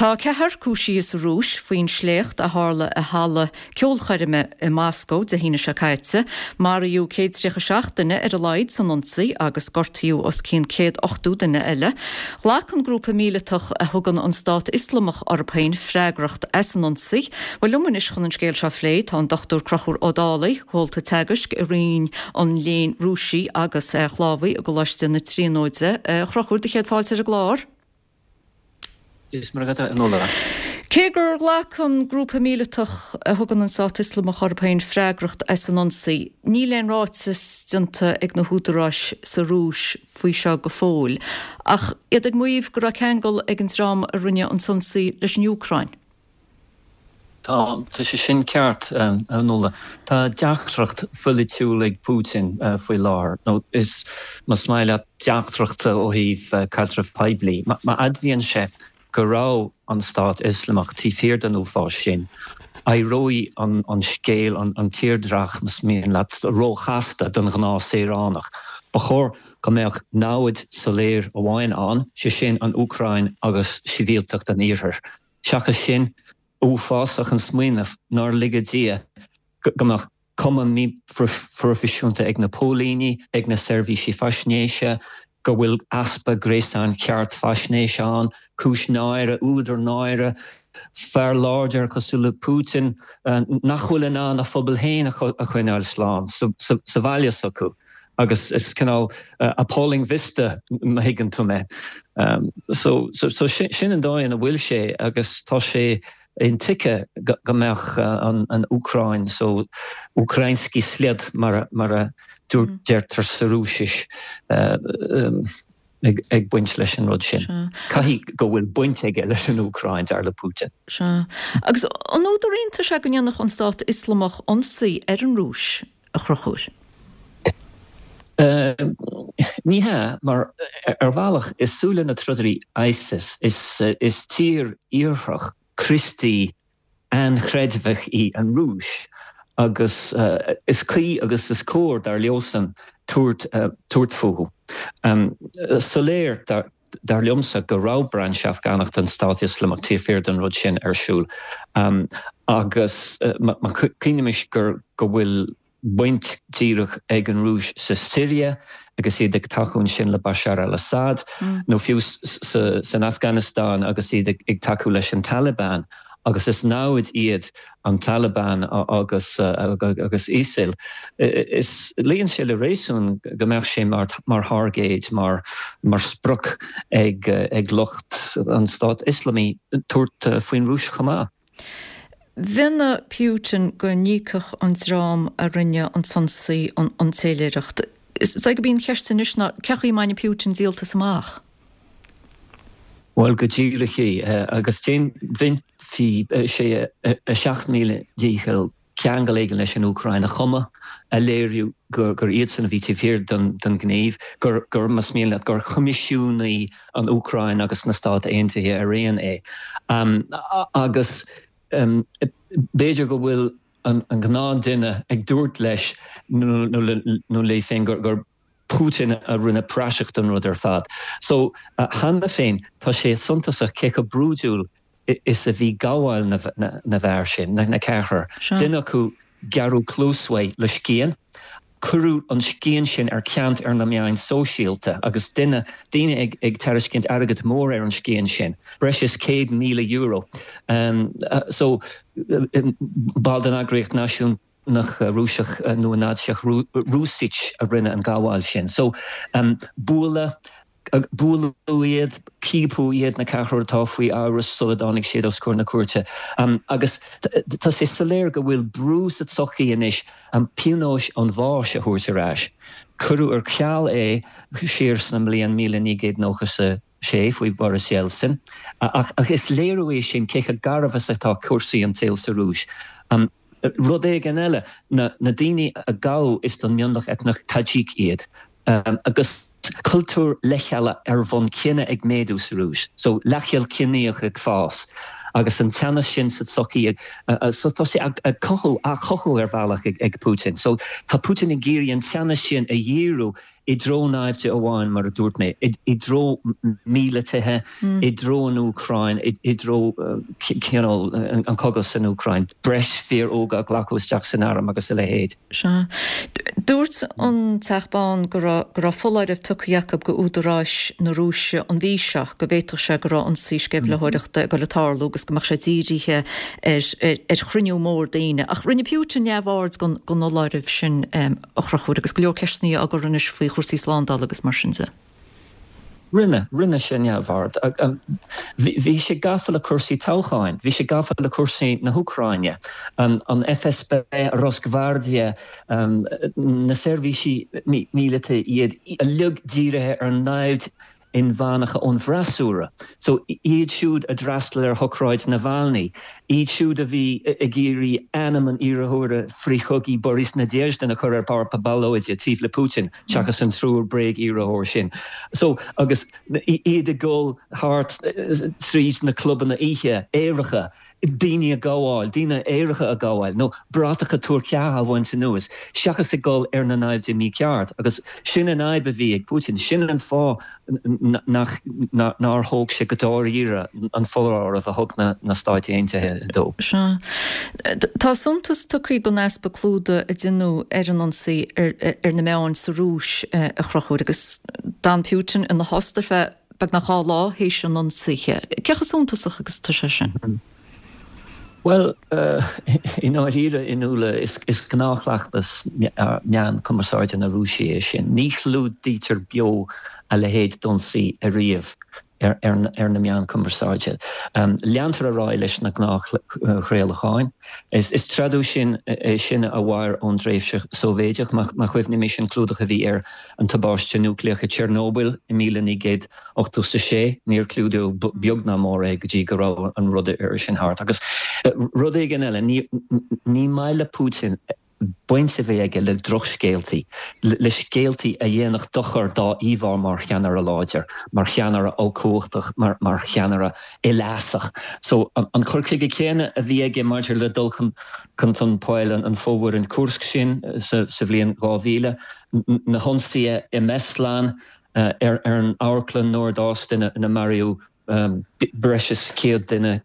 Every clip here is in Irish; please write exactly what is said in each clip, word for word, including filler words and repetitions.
Tá ceathrar cúisithe sa Rúis faoin sléacht a tharla i halla ceolchoirme i Moscó Dé hAoine seo caite. Maraíodh céad tríocha seacht duine ar a laghad san ionsaí agus gortaíodh os cionn céad ochtó duine eile. Ghlac an grúpa míleatach a thugann an Stát Ioslamach orthu féin freagracht as an ionsaí. Bhuel liom anois chun an scéal seo a phlé tá an Dr Conchúr Ó Dálaigh, comhalta teagaisc i Roinn an Léinn Rúisigh agus Shlavaigh i gColáiste na Tríonóide. A Chonchúir, do chéad fáilte ar an gclár. Is mar a Nuala. Cé gur ghlac an grúpa míleatach a thugann an Stát Ioslamach orthu féin freagracht as an ionsaí, níl aon ráiteas déanta ag na húdaráis sa Rúis faoi seo go fóill, ach iad ag maíomh go raibh ceangal ag an dream a rinne an t-ionsaí leis an Úcráin. Tá tá sé sin ceart a Nuala. Tá deacracht pholaitiúil ag Putin faoi láthair, nó is más maith leat deacracht ó thaobh caidreamh poiblí. Má admhaíonn sé go raibh an Stát Ioslamach taobh thiar den uafás sin, éireoidh an an scéal, an an tírdhreach, más mian leat, róchasta don ghnáthshaoránach. Ba chóir go mbeadh namhaid soiléir amháin ann, sé sin an Úcráin agus sibhialtacht an Iarthair. Seachas sin, uafásach an smaoineamh nár lige Dia go mbeadh cuma míphroifisiúnta ag na póilíní, ag na seirbhísí faisnéise, go bhfuil easpa gréasán ceart faisnéise ann, cúis náire, údar náire, fear láidir cosúil le Putin nach bhfuil in ann a phobal féin a choinneáil slán sa bhaile s'acu. Agus is cineál appalling vista má thuigeann tú mé. So so sin an dóigh ina bhfuil sé agus tá sé intuigthe go mbeadh an Úcráin so Ukrainsky sled mar mar a deirtear sa Rúisis ag baint leis an rud sin. Caithfidh go bhfuil baint aige leis an Úcráin dar le Putin. Sea. Agus an údar iontais é go ndéanfadh an Stát Ioslamach ionsaí ar an Rúis, a Chonchúir? Ní hea, mar ar bhealach i súile na trodairí ISIS is tír iartharach Críostaí ainchreidmheach í an Rúis agus is cuí agus is cóir dar leosan tabhairt tabhairt fúthu. Soiléir dar liomsa go raibh brainse Afgánach den Stát Ioslamach taobh thiar den rud sin ar siúl agus má chuimhnímis gur go bhfuil baint díreach ag an Rúis sa Siria agus iad ag tacú ansin le Bashar al-Assad, nó fiú san Afganastáin agus iad ag tacú leis an Taliban, agus is namhaid iad an Taliban agus agus ISIL. Is luíonn sé le réasún go mbeadh sé mar mar thairgéad, mar mar sprioc ag ag lucht an Stáit Ioslamaigh tabhairt faoin Rúis chomh maith. Mhionnaigh Putin go n-íocfadh an dream a rinne an t-ionsaí an téiléireacht. Is é gurb í an cheist anois ná cén chaoi a mbainfidh Putin díoltas amach? Bhuel, go díreach é. Agus déanfaidh sé a seacht míle dícheall ceangal éigin leis an Úcráin a chumadh, a léiriú gur iadsan a bhí taobh thiar den ghníomh, gur, gur, más mian leat, gur choimisiúnaigh an Úcráin agus na Stáit Aontaithe araon é. Agus b'fhéidir go bhfuil an gnáthduine ag dúirt leis nó léi féin gur Putin a rinne praiseach den rud ar fad. So, cheana féin, tá sé suntasach cé chomh brúidiúil is a bhí gabháil na bhfear sin, na ceathrar. Duine acu, gearradh cluas uaidh le scian. Cuireadh an scian sin ar ceant ar na meáin sóisialta agus duine, daoine ag ag tairiscint airgead mór ar an scian sin, breis is céad míle euro. So, ball den eagraíocht náisiúnach Rúiseach nua-Naitsíoch Rusich a rinne an gabháil sin. So, bualadh. Buaileadh iad, ciapadh iad, na ceathrar atá faoi amhras sula dtáinig siad os comhair na cúirte. Agus tá sé soiléir go bhfuil brú sa tsochaí anois pionós an bháis a thabhairt ar ais. Cuireadh ar ceal é siar sna mbliain míle naoi gcéad nócha is a sé faoi Boris Yeltsin. Ach is léiriú é sin cé chomh garbh is atá cúrsaí an tsaoil sa Rúis. Rud éigin eile, na daoine a gabhadh is den mionlach eitneach Tajik iad. Agus cultúr leithcheala ar bhonn cine ag méadú sa Rúis, so leithcheal ciníoch ag fás, agus an teannas sin sa tsochaí so tá sé ag cothú á chothú ar bhealach ag Putin. So tá Putin ag iarraidh an teannas sin a dhíriú i dtreo naimhde amháin mar a dúirt mé, i dtreo míleataithe, i dtreo an Úcráin, i dtreo cineál an cogadh san Úcráin, breis fir óga a ghlacadh isteach san arm agus a leithéid. Sea. Dúirt an Teach Bán go raibh go raibh foláireamh tugtha acu go údaráis na Rúise an mhí seo go bhféadfadh sé go raibh ionsaí sceimhlitheoireachta ag dul a tarlú agus go mbeadh sé dírithe ar ar chruinniú mór daoine. Ach rinne Putin neamhaird den den fholáireamh sin a Chonchúir agus go leor ceisteanna á gcur anois faoi chúrsaí slándála agus mar sin de. Rinne, rinne sé neamhaird. Bhí sé gafa le cúrsaí toghcháin, bhí sé gafa le cúrsaí na hÚcráine, an FSB, Rosgvardia, na seirbhísí míleata, iad uilig dírithe ar naimhde inmheánacha ón bhfreasúra. So iad siúd a d'fhreastail ar shocráid Navalny, iad siúd a bhí ag iarraidh ainm an iarrthóra frithchogaidh Boris Nadezhdin a chur ar pháipéar ballóide taobh le Putin seachas an triúr bréag-iarrthóir sin. So agus iad ag dul thart tríd na clubanna oíche aeracha, daoine a ghabháil, daoine aeracha a ghabháil, nó bratacha tuar ceatha a bhaint anuas, seachas ag dul ar na naimhde mícheart. Agus sin an fhadhb a bhí ag Putin, sin an fáth nach, nár thóg sé go dáiríre an foláireamh a thug na Stáit Aontaithe dó. Sea. Tá suntas tugtha don easpa clúdaigh a deineadh ar an ionsaí ar na meáin sa Rúis, a Chonchúir, agus d'fhan Putin ina thost ar feadh beagnach dhá lá théis an ionsaithe. Cé chomh suntasach agus atá sé sin? Bhuel, i ndáiríre, a Fhionnuala, is gnáthchleachtas meán cumarsáide na Rúise é sin. Ní chlúdaítear beo a leithéid d'ionsaí ariamh ar na meáin cumarsáide. Leantar ar aghaidh leis na gnáthchraolacháin. Is traidisiún é sin a mhair ón dtréimhse Sóivéideach, má chuimhnímis an clúdach a bhí ar an tubaiste núicléach i Chernobyl i míle naoi gcéad ochtó is a sé, níor clúdaíodh beag ná mór é go dtí go raibh an rud sin thart. Agus rud éigin eile, ní maith le Putin baint a bheith aige le drochscéaltaí, le scéaltaí a dhéanfadh dochar dá íomhá mar cheannaire láidir, mar cheannaire ollchumhachtach, mar cheannaire uilefheasach. So an cur chuige céanna a bhí aige maidir le dul chun chun poill an fomhuireáin Kursk sin sa bhliain dhá mhíle, na hionsaithe i mBeslan, ar an amharclann Nord-Ost ina maraíodh breis is céad duine,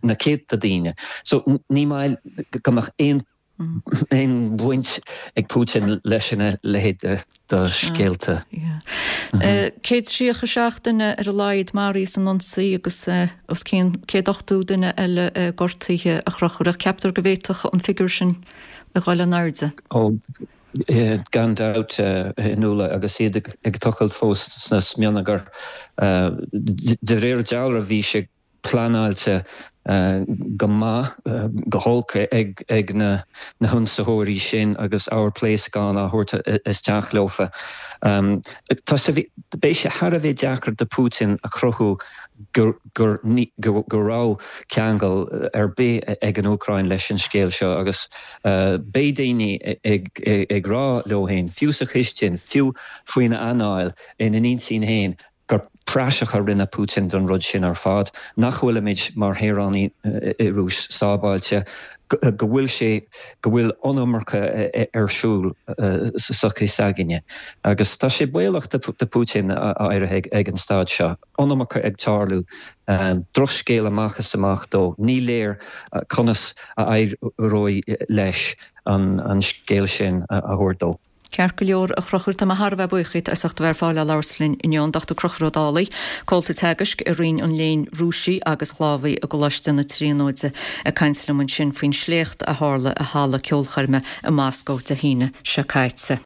na céadta daoine. So ní maith go mbeadh aon aon bhaint ag Putin leis a leithéid de scéalta. Céad tríocha seacht duine ar a laghad maraithe san ionsaí agus os cionn céad ochtó duine eile gortaithe a Chonchúir ach ceaptar go bhféadfadh an figiúr sin a dhul in airde. Ó, gan dabht, a Fhionnuala, agus iad ag tochailt fós sna smionagair. De réir dealraimh bhí sé pleanáilte go maith, go holc ag na hionsaitheoirí sin agus ábhar pléascán á thabhairt isteach leofa. Tá sé, beidh sé thar a bheith deacair do Putin a chruthú go raibh ceangal ar bith ag an Úcráin leis an scéal seo agus beidh daoine ag rá leo féin, fiú sa chistin, fiú faoina anáil, ina n-intinn féin, gur praiseach a rinne Putin den rud sin ar fad, nach bhfuilimid mar shaoránaigh i Rúis sábháilte, go bhfuil sé, go bhfuil iomarca ar siúl sa tsochaí s'againne. Agus tá sé baolach do Putin áirithe ag an staid seo. Iomarca ag tarlú, drochscéal amach is amach dó. Ní léir conas a éireoidh leis an scéal sin a thabhairt dó. Ceart go leor, a Chonchúir, tá mé thar a bheith buíoch díot as ucht a bheith ar fáil le labhairt linn inniu, an Dochtúir Conchúr Ó Dálaigh, Comhalta Teagaisc i Roinn an Léinn Rúisigh agus Shlávaigh i gColáiste na Tríonóide, ag caint liom ansin faoin sléacht a tharla i halla ceolchoirme i Moscó Dé hAoine seo caite.